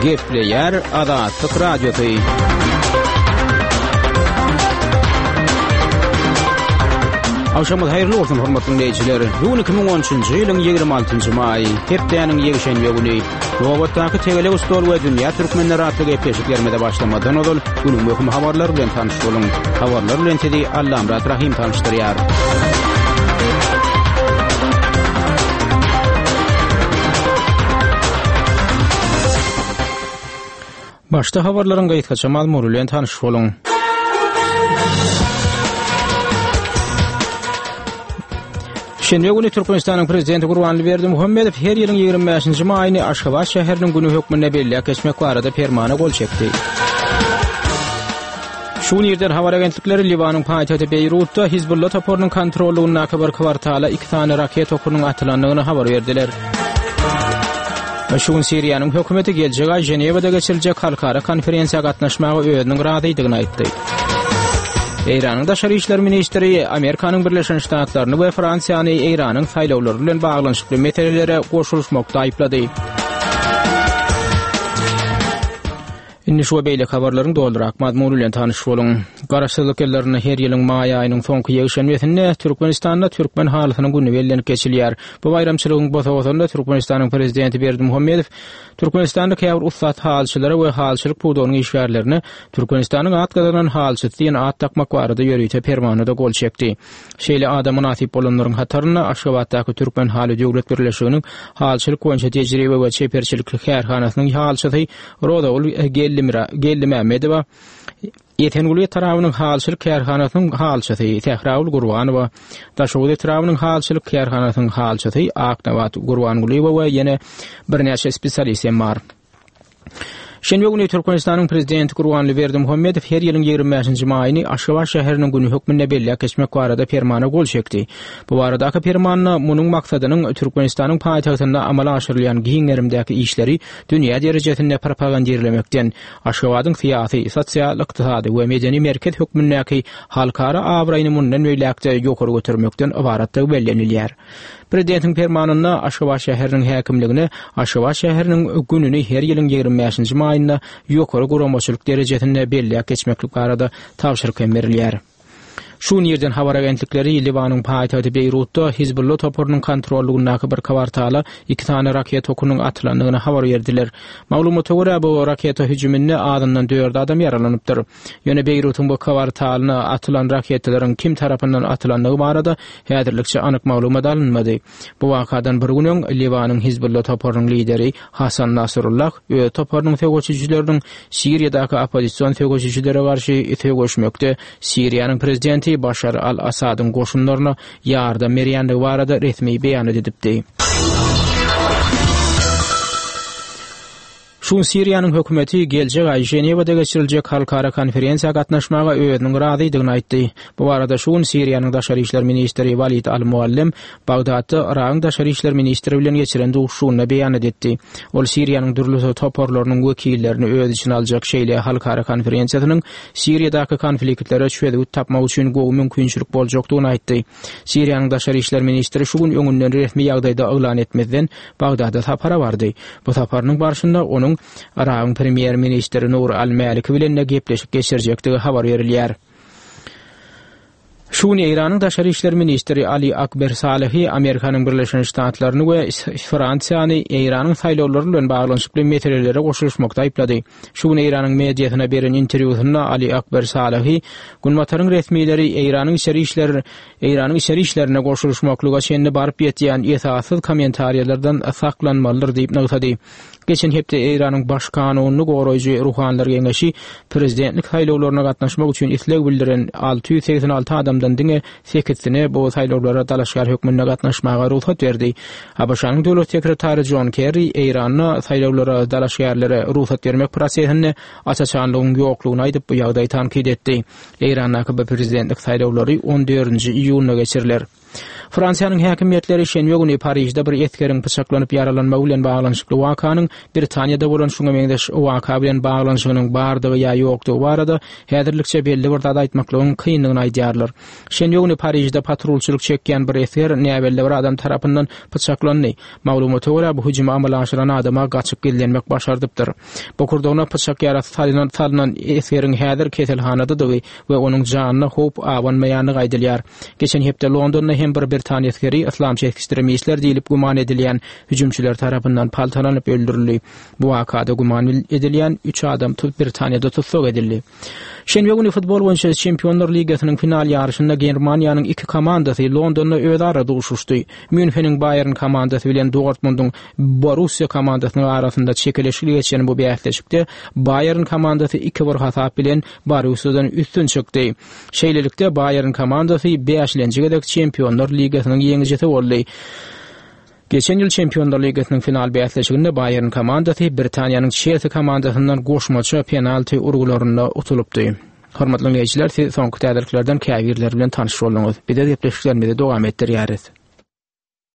Gepleýär Azatlyk Radiosy. Agşamyňyz haýyrly bolsun, hormatly diňleýjiler. Bu gün 2013-nji ýylyň 26-njy maýy, hepdäniň ýekşenbe güni. Nobatdaky Tegelek stol we Dünýä türkmenleri atly gepleşiklerimize başlamazdan ozal, günüň möhüm habarlary bilen tanyş boluň. Habarlar bilen sizi Allamyrat Rahym tanyşdyrýar. Başda habarlaryň gysgaça mazmuny bilen tanyş boluň. Şenbe güni Türkmenistanyň Prezidenti Gurbanguly Berdimuhamedow her ýylyň 25-nji maýyny Aşgabat şäheriniň güni hökmünde belläp geçmek barada Permana gol çekdi. Şu gün irden habar agentlikleri Liwanyň paýtagty Beýrutda Hizbulla toparynyň kontrollygyndaky bir kwartala iki sany raket okunyň atylandygyny habar berdiler. Şu gün Siriýanyň hökümeti geljek aý Ženewada geçiriljek halkara konferensiýa gatnaşmaga özüniň razydygyny aýtdy. Eýranyň daşary işler ministri Amerikanyň Birleşen Ştatlaryny we Fransiýany Eýranyň saýlawlary bilen baglanyşykly meselelere goşulyşmakda aýyplady. Indi şu we beýleki habarlaryň dolurak mazmuny bilen tanyş boluň. Garaşsyzlyk ýyllarynda her ýylyň maý aýynyň soňky ýekşenbesinde Türkmenistanda Türkmen halysynyň güni bellenip geçilýär. Bu baýramçylygyň bosagasynda Türkmenistanyň Prezidenti Berdimuhamedow Türkmenistanda käbir ussat halyçylara we halyçylyk pudagynyň işgärlerine Türkmenistanyň at gazanan halyçysy diýen at dakmak barada ýörite Permana-da gol çekdi. Şeýle ada mynasyp bolanlaryň hatarynda Aşgabatdaky Türkmen haly döwlet birleşiginiň halyçylyk boýunça tejribe we çeperçilik kärhanasynyň halyçysy Rozagül Geldimämmedowa, Esenguly etrabynyň halyçylyk kärhanasynyň halyçysy Sähragül Gurbanowa, Daşoguz etrabynyň halyçylyk kärhanasynyň halyçysy Aknabat Gurbangulyýewa we ýene birnäçe spesialist hem bar. Şenbe güni Türkmenistanyň Prezidenti Gurbanguly Berdimuhamedow her ýylyň 25-nji maýyny Aşgabat şäheriniň güni hökmünde belläp geçmek barada Permana gol çekdi. Bu baradaky Permanda munuň maksadynyň Türkmenistanyň paýtagtynda amala aşyrylýan giň gerimdäki işleri dünýä derejesinde propagandirlemekden, Aşgabadyň syýasy, sosial-ykdysady we medeni merkez hökmündäki halkara abraýyny mundan beýläk-de ýokary götermekden ybaratdygy bellenilýär. Prezidentiň Permanynda Aşgabat şäheriniň häkimligine Aşgabat şäheriniň gününi her ýylyň 25-nji maýynda ýokary guramaçylyk derejesinde belläp geçmeklik barada tabşyryk hem berilýär. Şu gün irden habar agentlikleri Liwanyň paýtagty Beýrutda Hizbulla toparynyň kontrollygyndaky bir kwartala iki sany raketa okunyň atylandygyny habar berdiler. Maglumata görä, bu raketa hüjüminde azyndan dört adam ýaralanypdyr. Ýöne Beýrutyň bu kwartalyna atylan raketalaryň kim tarapyndan atylandygy barada häzirlikçe anyk maglumat alynmady. Bu wakadan bir gün öň Liwanyň Hizbulla toparynyň lideri Hasan Nasrullah öz toparynyň söweşijileriniň Siriýadaky oppozision söweşijilere garşy söweşmekde Siriýanyň prezidenti Başar al-Assadyň goşunlaryna ýardam berýändigi barada resmi beýanat edipdi. Şu gün Siriýanyň hökümeti geljek aý Ženewada geçiriljek halkara konferensiýa gatnaşmaga özüniň razydygyny aýtdy. Bu barada şu gün Siriýanyň daşary işler ministri Walid al-Muallem Bagdatda Yragyň daşary işler ministri bilen geçiren duşuşygynda beýanat etdi. Ol Siriýanyň dürli toparlarynyň wekillerini öz içine aljak şeýle halkara konferensiýasynyň Siriýadaky konfliktlere çözgüt tapmak üçin gowy mümkinçilik boljakdygyny aýtdy. Siriýanyň daşary işler ministri şu gün öňünden resmi ýagdaýda yglan etmezden Bagdada sapara bardy. Bu saparynyň barşynda onuň Yragyň premýer-ministri Nuri al-Mäliki bilen-de gepleşik geçirjekdigi habar berilýär. Şu gün Eýranyň daşary işler ministri Ali Akber Salehi Amerikanyň Birleşen Ştatlaryny we Fransiýany Eýranyň saýlawlary bilen baglanyşykly meselelere goşulyşmakda aýyplady. Şu gün Eýranyň mediasyna beren interwýusynda Ali Akber Salehi Günbataryň resmileri Eýranyň içeri işler Eýranyň içeri işlerine goşulyşmaklyga çenli baryp ýetýän esassyz kommentariýalardan saklanmalydyr diýip nygtady. Geçen hepde Eýranyň Baş kanunyny goraýjy Ruhanylar geňeşi prezidentlik saýlawlaryna gatnaşmak üçin isleg bildiren 686 adamdan diňe sekizsine bu saýlawlara dalaşgär hökmünde gatnaşmaga rugsat berdi. ABŞ-nyň döwlet sekretary Jon Kerri Eýranda saýlawlara dalaşgärlere rugsat bermek prosesinde aç-açanlygyň ýoklugyny aýdyp, bu ýagdaýy tankyt etdi. Eýrandaky bu prezidentlik saýlawlary on dördünji iýunda geçiriler. Fransiýanyň häkimiýetleri şenbe güni Parižde bir esgeriň pyçaklanyp ýaralanmagy bilen baglanyşykly wakanyň Britaniýada bolan şuňa meňzeş waka bilen baglanyşygynyň bardygy ýa ýokdugy barada häzirlikçe belli bir zat aýtmaklygyň kyndygyny aýdýarlar. Şenbe güni Parižde patrulçylyk çekýän bir esger näbelli bir adam tarapyndan pyçaklandy. Maglumata görä, bu hüjümi amala aşyran adama gaçyp gizlenmek başardypdyr. Bokurdagyna pyçak ýarasy salnan salnan esgeriň häzir keselhanadadygy we onuň janyna howp abanmaýandygy aýdylýar. Geçen hepde Londonda hem bir britan esgeri yslamçy ekstremistler diýlip güman edilýän hüjümçiler tarapyndan paltalanyp öldürildi. Bu wakada güman edilýän üç adam Britaniýada tussag edildi. Şenbe güni futbol boýunça Çempionlar ligasynyň final ýaryşynda Germaniýanyň iki komandasy Londonda özara duşuşdy. Mýunheniň Baýern komandasy bilen Dortmundyň Borussiýa komandasynyň arasynda çekeleşikli geçen bu bäsleşikde Baýern komandasy 2-bir hasap bilen Borussiýadan üstün çykdy. Şeýlelikde, Baýern komandasy bäşlenji gezek Çempionlar ligasynyň ýeňijisi boldy. Geçen ýyl Çempionlar ligasynyň final bäsleşiginde Baýern komandasy Britaniýanyň Çelsi komandasyndan goşmaça penalti urgularynda utulypdy. Hormatly diňleýjiler, siz soňky täzeliklerden käbirleri bilen tanyş bolduňyz. Biz öz gepleşiklerimizi dowam etdirýäris.